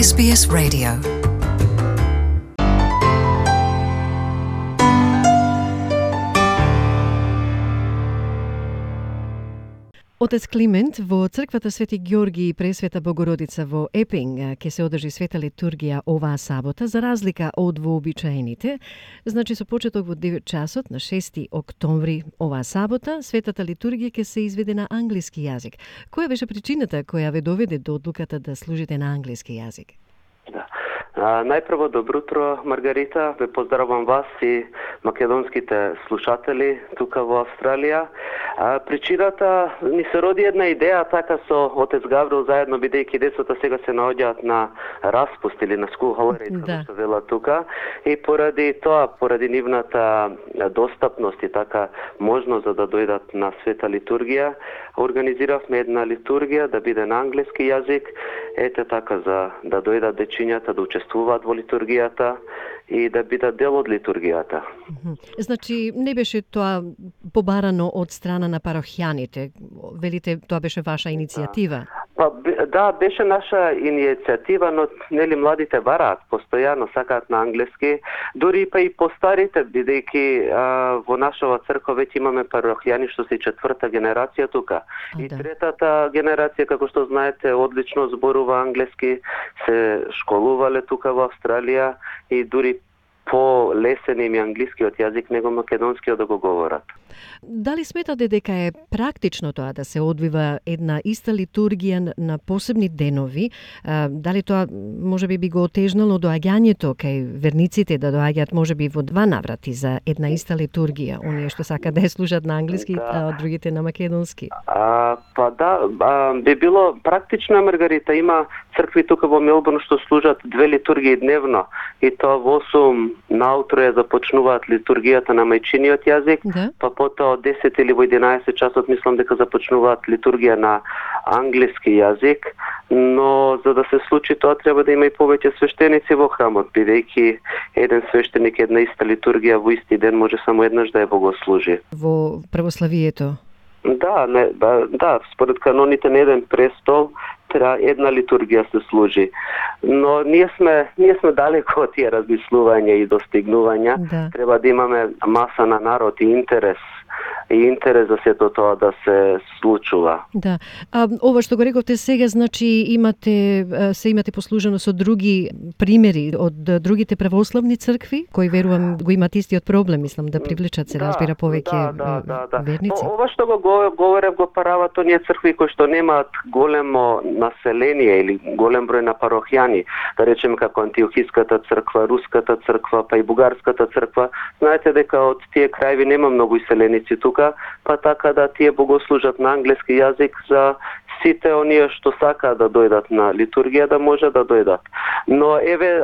SBS Radio. Отец Климент, во црквата Свети Ѓорги и Пресвета Богородица во Епинг ќе се одржи света литургија оваа сабота, за разлика од вообичаените. Значи, со почеток во 9 часот на 6 октомври оваа сабота, светата литургија ќе се изведе на англиски јазик. Која беше причината која ве доведе до одлуката да служите на англиски јазик? Да. Најпрво, добро утро, Маргарита. Ве поздравам вас и македонските слушатели тука во Австралија. Причината ни се роди една идеја, така со отец Гаврил заедно, бидејќи децата сега се наоѓаат на распуст или на school holidays, како што вела тука, и поради тоа, поради нивната достапност и така можност за да дојдат на света литургија, организиравме една литургија да биде на англиски јазик, ете така за да дојдат дечињата да учествуваат во литургијата и да бидат дел од литургијата. Значи, не беше тоа побарано од страна на парохијаните? Велите, тоа беше ваша иницијатива? Да, беше наша иницијатива, но нели младите бараат, постојано сакаат на англиски, дури па и постарите, бидејќи во нашава црква веќе имаме парохијани што се 4-та генерација тука. И 3-та генерација, како што знаете, одлично зборува англиски, се школувале тука во Австралија и дури по-лесен им е англискиот јазик него македонскиот да го говорат. Дали сметате дека е практично тоа да се одвива една иста литургија на посебни денови? Дали тоа можеби би го отежнало доаѓањето кај верниците да доаѓаат можеби во 2 наврати за една иста литургија, оние што сакаат да ја слушаат на англиски, а другите на македонски? Би било практично, Маргарита. Има цркви тука во Мелбурн што служат 2 литургии дневно и тоа во 8 наутро ја започнуваат литургијата на мајчиниот јазик, па потоа од 10 или во 11 часот мислам дека започнуваат литургија на англиски јазик, но за да се случи тоа треба да има и повеќе свештеници во храмот, бидејќи еден свештеник една иста литургија во исти ден може само еднаш да ја богослужи. Во православието? Да, според каноните на еден престол треба една литургија се служи. Но ние сме далеко од тие размислувања и достигнувања. Да. Треба да имаме маса на народ и интерес за сето тоа да се случува. Да. Ова што го рековте сега, значи имате послужено со други примери од другите православни цркви, кои верувам го имат истиот проблем, мислам да привлечат се разбира повеќе верници. Ова што го говорев го парават оние цркви кои што немаат големо население или голем број на парохијани, да речеме како Антиохиската црква, Руската црква, па и Бугарската црква. Знаете дека од тие крајви нема многу иселеници тука, па така да тие богослужат на англиски јазик за сите оние што сакаат да дојдат на литургија да може да дојдат. Но еве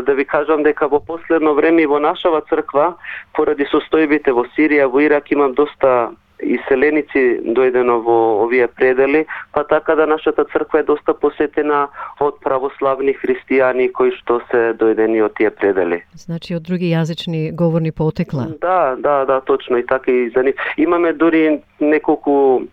да ви кажам дека во последно време во нашава црква поради состојбите во Сирија, во Ирак имам доста иселеници дојдено во овие предели, па така да нашата црква е доста посетена од православни христијани кои што се дојдени од тие предели. Значи од други јазични говорни потекла. Да, точно и така и за нив. Имаме дури неколку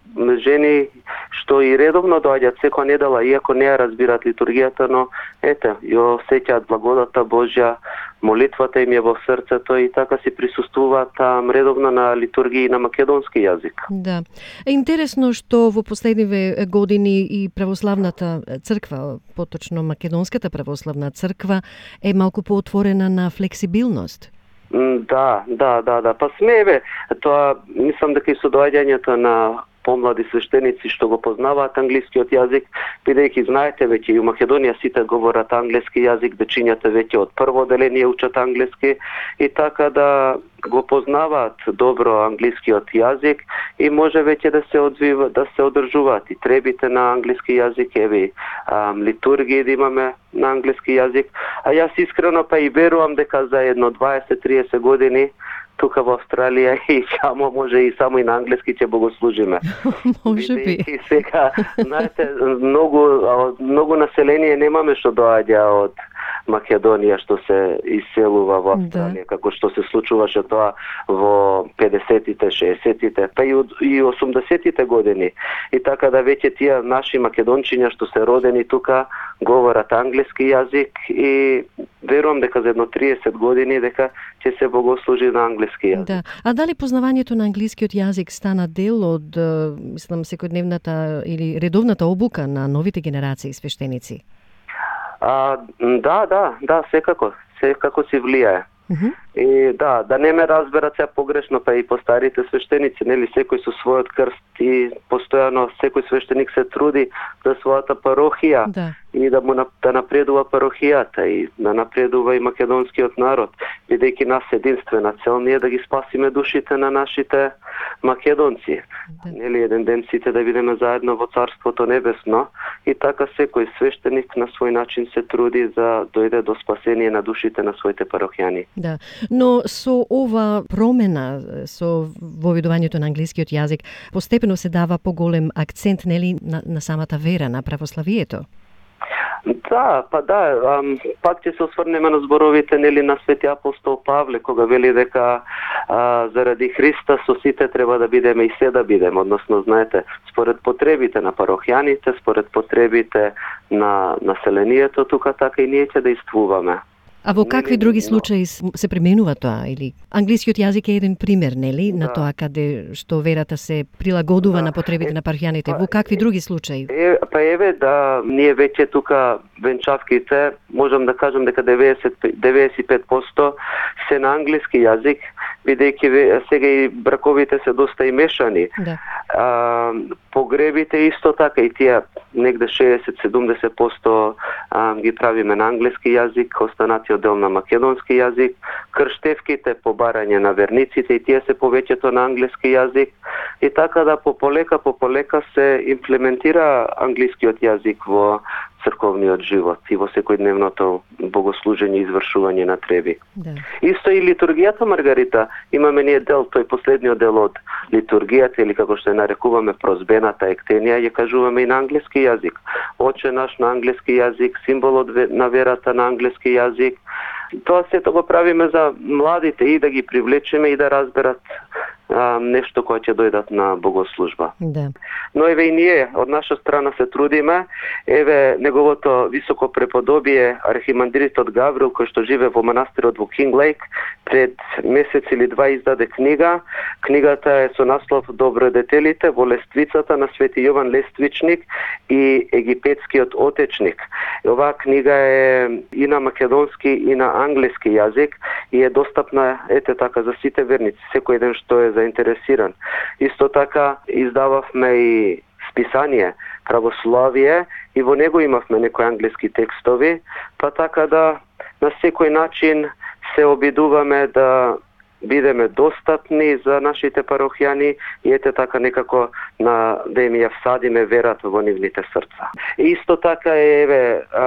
жени што и редовно доаѓаат секоја недела, иако не ја разбираат литургијата, но ете, ја осеќаат благодата Божја, молитвата им е во срцето и така си присуствуваат редовно на литургии на македонски јазик. Да. Интересно што во последниве години и православната црква, поточно македонската православна црква, е малку поотворена на флексибилност. Да. Па смееве, тоа мислам дека и со доаѓањето на помлади свештеници што го познаваат англискиот јазик, бидејќи знаете веќе и у Македонија сите говорат англиски јазик, дечињата веќе од прво одделение учат англиски и така да го познаваат добро англискиот јазик и може веќе да се одржуваат и требите на англиски јазик, еве литургии да имаме на англиски јазик, а јас искрено па и верувам дека за едно 20-30 години тука во Австралија и може и само и на англиски ќе богослужиме. Може би. И сега, знаете, многу население немаме што доаѓа од Македонија што се иселува во Австралија, како што се случуваше тоа во 50-тите, 60-тите, па и 80-тите години. И така да веќе тие наши македончиња што се родени тука говорат англиски јазик и верувам дека за едно 30 години дека ќе се богослужи на англиски јазик. Да. А дали познавањето на англискиот јазик стана дел од, мислам, секојдневната или редовната обука на новите генерации свештеници? Да, секако си влијае. И да не ме разберат се погрешно, па и по старите свештеници, нели, секој со својот крст и постојано секој свештеник се труди за својата парохија и да напредува парохијата и да напредува и македонскиот народ, бидејќи нас единствена цел ние да ги спасиме душите на нашите македонци. Нели, еден ден сите да бидеме заедно во Царството небесно и така секој свештеник на свој начин се труди за дојде до спасение на душите на своите парохијани. Да, но со ова промена со воведувањето на англискиот јазик постепено се дава поголем акцент, нели, на самата вера, на православието. Да, пак ќе се осврнеме на зборовите, нели, на свети апостол Павле, кога вели дека заради Христа со сите треба да бидеме и се да бидеме, односно, знаете, според потребите на парохијаните, според потребите на населението тука, така и ние ќе действуваме. А во какви други случаи се применува тоа? Или англискиот јазик е еден пример, нели, на тоа каде што верата се прилагодува на потребите на парохијаните. Во какви други случаи? Ние веќе тука венчавките, можам да кажам дека 95% се на англиски јазик, бидејќи сега и браковите се доста и мешани. Погребите исто така и тие негде 60-70% ги правиме на англиски јазик, останатиот дел на македонски јазик. Крштевките по барање на верниците и тие се повеќето на англиски јазик. И така да пополека се имплементира англискиот јазик во црковниот живот и во секојдневното богослужење и извршување на треби. Да. Исто и литургијата, Маргарита, имаме ние дел, тој последниот дел од литургијата, или како што ја нарекуваме прозбената ектенија, ја кажуваме и на англиски јазик. Оче наш на англиски јазик, символот на верата на англиски јазик. Тоа сето го правиме за младите и да ги привлечеме и да разберат нешто кое ќе дојдат на богослужба. Да. Но еве и ние од наша страна се трудиме. Еве неговото високо преподобие архимандритот Гаврил, кој што живе во манастирот во Кинг Лейк, пред месец или два издаде книга. Книгата е со наслов Добродетелите во лествицата на Свети Јован Лествичник и Египетскиот отечник. Оваа книга е и на македонски и на англиски јазик и е достапна така за сите верници, секој ден што е заинтересиран. Исто така издававме и списание Православие и во него имавме некои англиски текстови, па така да на секој начин се обидуваме да бидеме достапни за нашите парохијани и така некако да им ја всадиме верата во нивните срца. И исто така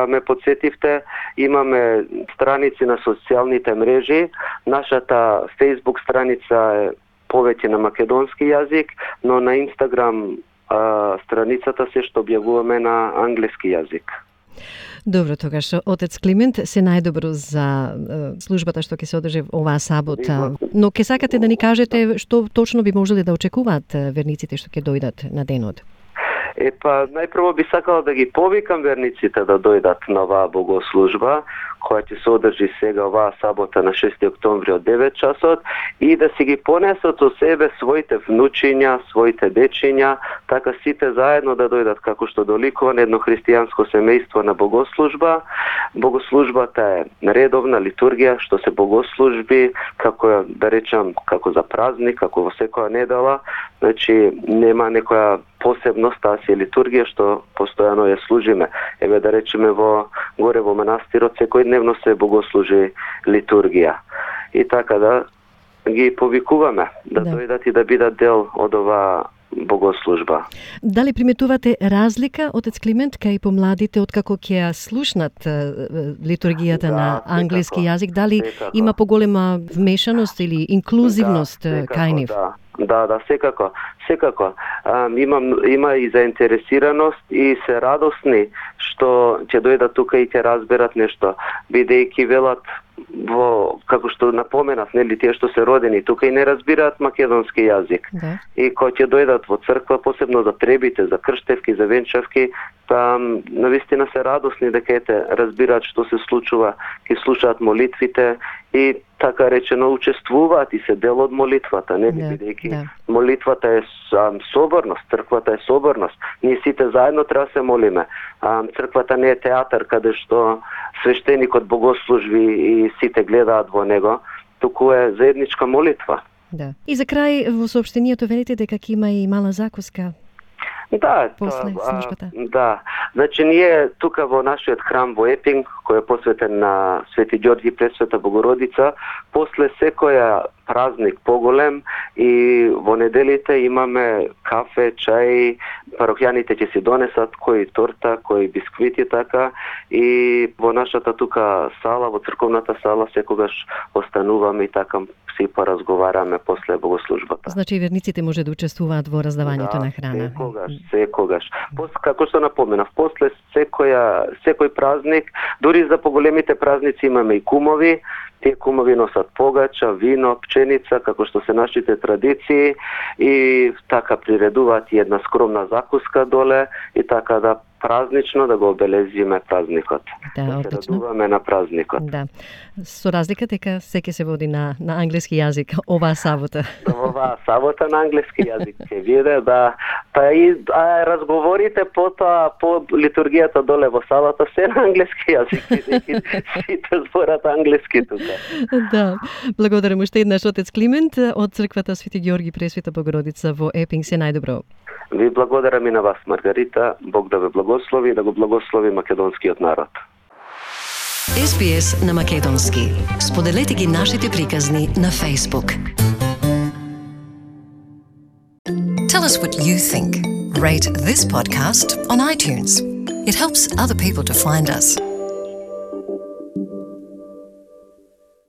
ме подсетивте, имаме страници на социјалните мрежи. Нашата Facebook страница е повеќе на македонски јазик, но на Инстаграм страницата се што објавуваме на англиски јазик. Добро, тогаш, отец Климент, се најдобро за службата што ќе се одржи оваа сабота. Но ќе сакате да ни кажете што точно би можеле да очекуваат верниците што ќе дојдат на денот? Најпрво би сакала да ги повикам верниците да дојдат на оваа богослужба, која ќе се одржи сега оваа сабота на 6 октомври од 9 часот и да си ги понесат со себе своите внучиња, своите дечиња, така сите заедно да дојдат како што доликува на едно христијанско семејство на богослужба. Богослужбата е редовна литургија, што се богослужби, како да речам, како за празник, како во секоја недела, значи нема некоја посебност, таа си е литургија што постојано ја служиме. Еве да речеме горе во манастирот секојдневно се богослужи литургија. И така да ги повикуваме да дојдат и да бидат дел од оваа богослужба. Дали приметувате разлика, отец Климент, кај помладите откако ќе ја слушнат литургијата на англиски јазик? Дали има поголема вмешаност или инклузивност кај нив? Да, секако. Има и заинтересираност и се радосни што ќе дојдат тука и ќе разберат нешто, бидејќи велат како што напоменав, нели, тие што се родени тука и не разбираат македонски јазик. Да. И кога ќе дојдат во црква, посебно за требите, за крштевки, за венчавки, навистина се радосни дека разбираат што се случува, ќе слушаат молитвите и така речено учествуваат и се дел од молитвата, нели, бидејќи молитвата е соборност, црквата е соборност. Ние сите заедно треба се молиме. Црквата не е театар каде што свештеникот богослужби и сите гледаат во него, туку е заедничка молитва. Да. И за крај во соопштението велите дека ќе има и мала закуска. Да, после службата. Да. Значи ние тука во нашиот храм во Епинг, кој е посветен на Свети Ѓорги Пресвета Богородица, после секоја празник поголем и во неделите имаме кафе, чај, парохјаните ќе си донесат кои торта, кои бисквити така и во нашата тука сала, во црковната сала секогаш остануваме и така си поразговараме после богослужбата. Значи верниците може да учествуваат во раздавањето на храна. Секогаш. Како што напоменав, после секој празник, дури за поголемите празници имаме и кумови. Тие кумови носат погача, вино, пченица, како што се нашите традиции и така приредуваат и една скромна закуска доле и така да празнично да го обелезиме празникот. Да се радуваме на празникот. Да. Со разлика дека секи се води на англиски јазик оваа сабота. Оваа сабота на англиски јазик ќе биде, да. Па и разговорите по литургијата доле во салата се на англиски јазик, сите зборат англиски тука. Да. Благодарам уште еднаш отец Климент од црквата Свети Ѓорги Пресвета Богородица во Епинг. Се најдобро. Ви благодарам и на вас, Маргарита. Бог да ве благослови и да го благослови македонскиот народ. SBS на македонски. Споделете ги нашите приказни на Facebook. Tell us what you think. Rate this podcast on iTunes. It helps other people to find us.